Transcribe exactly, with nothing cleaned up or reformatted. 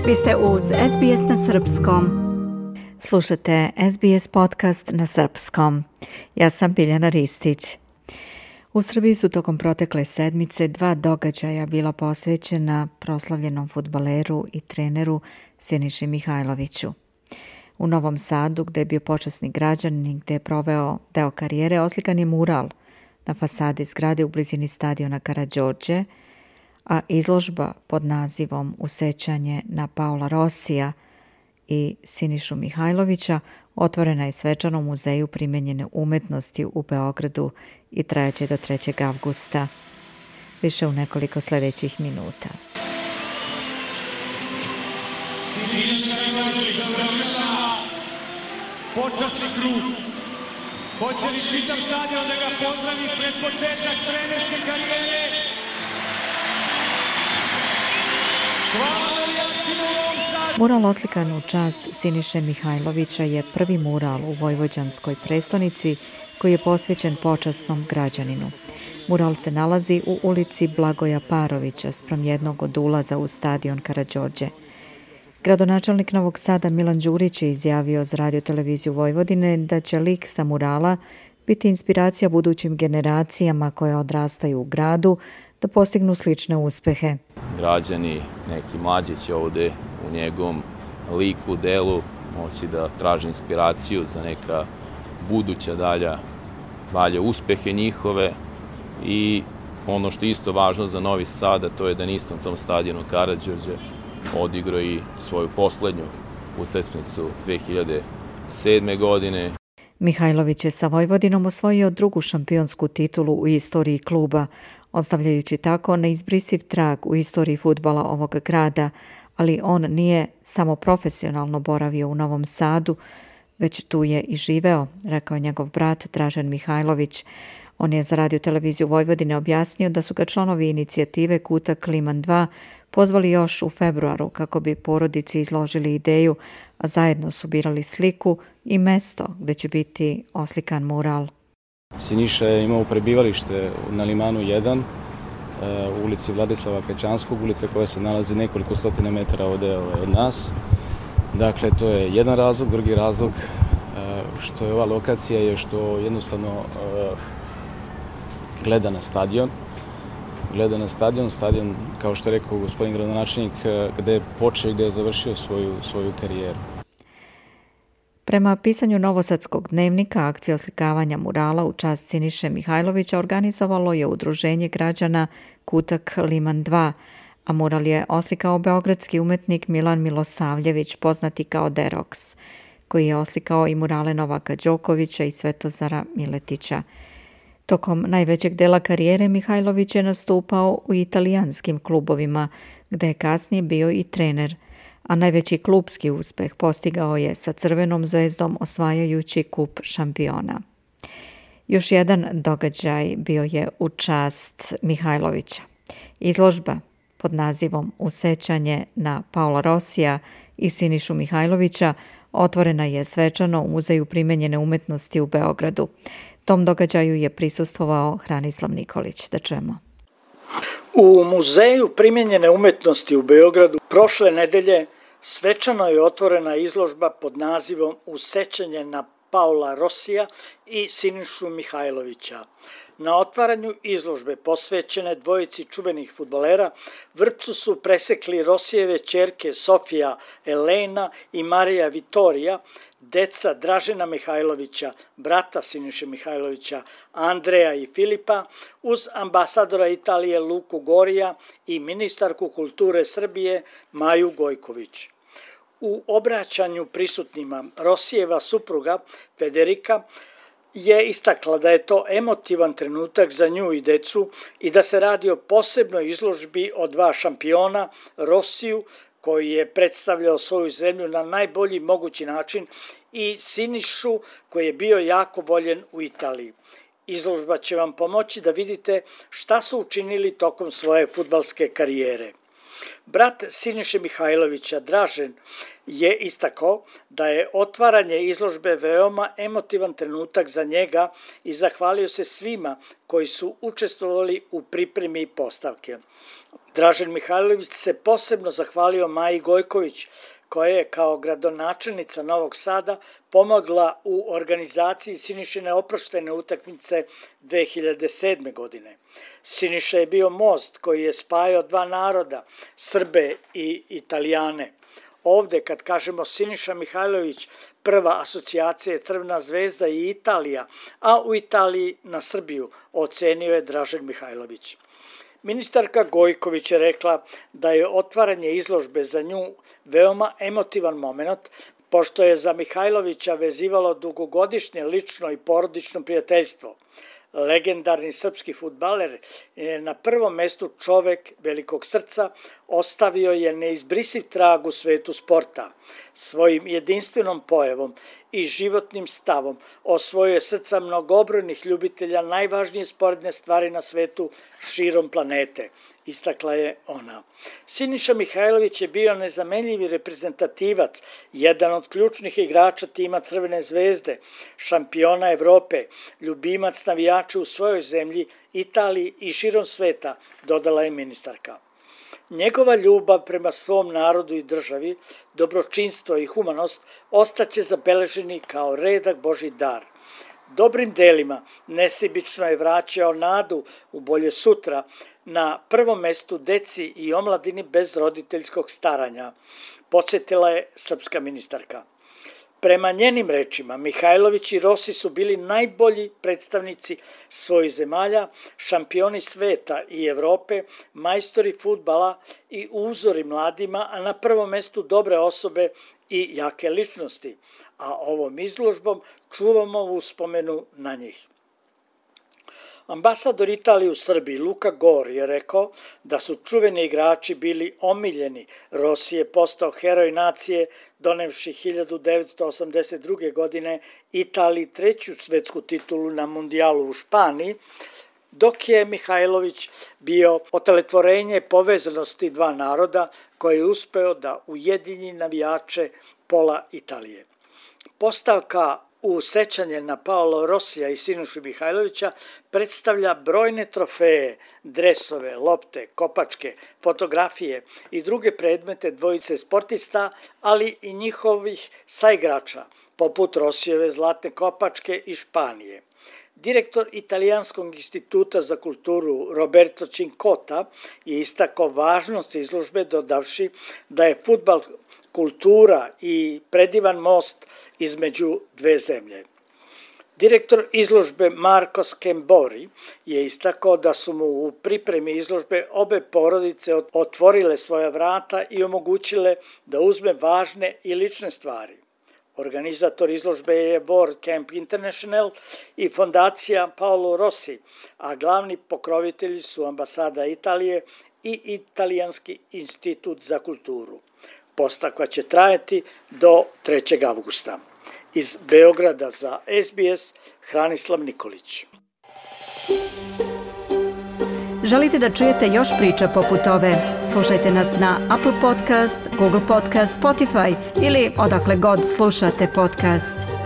Vi ste uz S B S na srpskom. Slušate S B S podcast na srpskom. Ja sam Biljana Ristić. U Srbiji su tokom protekle sedmice dva događaja bila posvećena proslavljenom fudbaleru i treneru Siniši Mihajloviću. U Novom Sadu, gde je bio počasni građanin i gde je proveo deo karijere, oslikan je mural na fasadi zgrade u blizini stadiona Karađorđe, a izložba pod nazivom Usećanje na Paola Rosija i Sinišu Mihajlovića otvorena je svečano u Muzeju primenjene umetnosti u Beogradu i trajaće do trećeg avgusta. Više u nekoliko sljedećih minuta. Počasni krug. Hoće li čitav stadion da ga pozdravi pred početak trenerske karijere? Mural oslikan u čast Siniše Mihajlovića je prvi mural u vojvođanskoj prestonici koji je posvećen počasnom građaninu. Mural se nalazi u ulici Blagoja Parovića spram jednog od ulaza u stadion Karađorđe. Gradonačelnik Novog Sada Milan Đurić je izjavio za Radio televiziju Vojvodine da će lik sa murala biti inspiracija budućim generacijama koje odrastaju u gradu da postignu slične uspehe. Građani, neki mlađi će ovde u njegovom liku, delu moći da traže inspiraciju za neka buduća dalja, dalje uspehe njihove i ono što je isto važno za Novi Sad, a to je da na istom tom stadionu Karađorđe odigrao i svoju poslednju utakmicu dve hiljade sedme. godine. Mihajlović je sa Vojvodinom osvojio drugu šampionsku titulu u istoriji kluba, ostavljajući tako neizbrisiv trag u istoriji fudbala ovog grada, ali on nije samo profesionalno boravio u Novom Sadu, već tu je i živeo, rekao njegov brat Dražen Mihajlović. On je za Radio televiziju Vojvodine objasnio da su ga članovi inicijative Kutak Liman dva pozvali još u februaru kako bi porodici izložili ideju, a zajedno su birali sliku i mesto gde će biti oslikan mural. Siniša je imao prebivalište na Limanu jedan, u ulici Vladislava Pečanskog, ulica koja se nalazi nekoliko stotina metara ovde od nas. Dakle, to je jedan razlog. Drugi razlog što je ova lokacija je što jednostavno gleda na stadion. Gleda na stadion, stadion, kao što je rekao gospodin gradonačelnik, gde je počeo i gde je završio svoju, svoju karijeru. Prema pisanju Novosadskog dnevnika, akcija oslikavanja murala u čast Siniše Mihajlovića organizovalo je udruženje građana Kutak Liman dva, a mural je oslikao beogradski umetnik Milan Milosavljević, poznati kao Deroks, koji je oslikao i murale Novaka Đokovića i Svetozara Miletića. Tokom najvećeg dela karijere Mihajlović je nastupao u italijanskim klubovima, gde je kasnije bio i trener, a najveći klubski uspeh postigao je sa Crvenom zvezdom osvajajući kup šampiona. Još jedan događaj bio je u čast Mihajlovića. Izložba pod nazivom Usećanje na Paola Rosija i Sinišu Mihajlovića otvorena je svečano u Muzeju primenjene umetnosti u Beogradu. Tom događaju je prisustvovao Hranislav Nikolić. Da čujemo. U Muzeju primenjene umetnosti u Beogradu prošle nedelje svečano je otvorena izložba pod nazivom Usećanje na Paola Rosija i Sinišu Mihajlovića. Na otvaranju izložbe posvećene dvojici čuvenih fudbalera vrpcu su presekli Rosijeve ćerke Sofija Elena i Marija Vitorija, deca Dražena Mihajlovića, brata Siniše Mihajlovića, Andreja i Filipa, uz ambasadora Italije Luku Gorija i ministarku kulture Srbije Maju Gojković. U obraćanju prisutnima Rosijeva supruga Federika je istakla da je to emotivan trenutak za nju i decu i da se radi o posebnoj izložbi o dva šampiona, Rosiju, koji je predstavljao svoju zemlju na najbolji mogući način, i Sinišu, koji je bio jako voljen u Italiji. Izložba će vam pomoći da vidite šta su učinili tokom svoje fudbalske karijere. Brat Siniše Mihajlovića, Dražen, je istakao da je otvaranje izložbe veoma emotivan trenutak za njega i zahvalio se svima koji su učestvovali u pripremi postavke. Dražen Mihajlović se posebno zahvalio Maji Gojković, koja je kao gradonačelnica Novog Sada pomogla u organizaciji Sinišine oproštene utakmice dve hiljade sedme. godine. Siniša je bio most koji je spajao dva naroda, Srbe i Italijane. Ovde, kad kažemo Siniša Mihajlović, prva asocijacija je Crvena zvezda i Italija, a u Italiji na Srbiju ocenio je Dražen Mihajlović. Ministarka Gojković je rekla da je otvaranje izložbe za nju veoma emotivan moment, pošto je za Mihajlovića vezivalo dugogodišnje lično i porodično prijateljstvo. Legendarni srpski fudbaler je na prvom mestu čovek velikog srca, ostavio je neizbrisiv trag u svetu sporta. Svojim jedinstvenom pojavom i životnim stavom osvojio je srca mnogobrojnih ljubitelja najvažnije sporedne stvari na svetu širom planete, istakla je ona. Siniša Mihajlović je bio nezamenljivi reprezentativac, jedan od ključnih igrača tima Crvene zvezde, šampiona Evrope, ljubimac navijača u svojoj zemlji, Italiji i širom sveta, dodala je ministarka. Njegova ljubav prema svom narodu i državi, dobročinstvo i humanost ostaće zabeleženi kao redak Božji dar. Dobrim delima nesebično je vraćao nadu u bolje sutra, na prvom mestu deci i omladini bez roditeljskog staranja, podsjetila je srpska ministarka. Prema njenim rečima, Mihajlović i Rossi su bili najbolji predstavnici svojih zemalja, šampioni sveta i Evrope, majstori fudbala i uzori mladima, a na prvom mestu dobre osobe i jake ličnosti, a ovom izložbom čuvamo uspomenu na njih. Ambasador Italije u Srbiji Luka Gor je rekao da su čuveni igrači bili omiljeni. Rossi je postao heroj nacije donevši hiljadu devetsto osamdeset druge. godine Italiji treću svetsku titulu na mundijalu u Španiji, dok je Mihajlović bio oteletvorenje povezanosti dva naroda koji je uspeo da ujedinji navijače pola Italije. Postavka u sećanje na Paolo Rossija i Sinišu Mihajlovića predstavlja brojne trofeje, dresove, lopte, kopačke, fotografije i druge predmete dvojice sportista, ali i njihovih saigrača, poput Rossijeve zlatne kopačke iz Španije. Direktor Italijanskog instituta za kulturu Roberto Cincotta je istakao važnost izložbe dodavši da je fudbal kultura i predivan most između dve zemlje. Direktor izložbe Marko Skembori je istakao da su mu u pripremi izložbe obe porodice otvorile svoja vrata i omogućile da uzme važne i lične stvari. Organizator izložbe je World Camp International i fondacija Paolo Rossi, a glavni pokrovitelji su ambasada Italije i Italijanski institut za kulturu. Postavka će trajati do trećeg avgusta. Iz Beograda za S B S, Hranislav Nikolić. Želite da čujete još priča poput ove? Slušajte nas na Apple Podcast, Google Podcast, Spotify ili odakle god slušate podcast.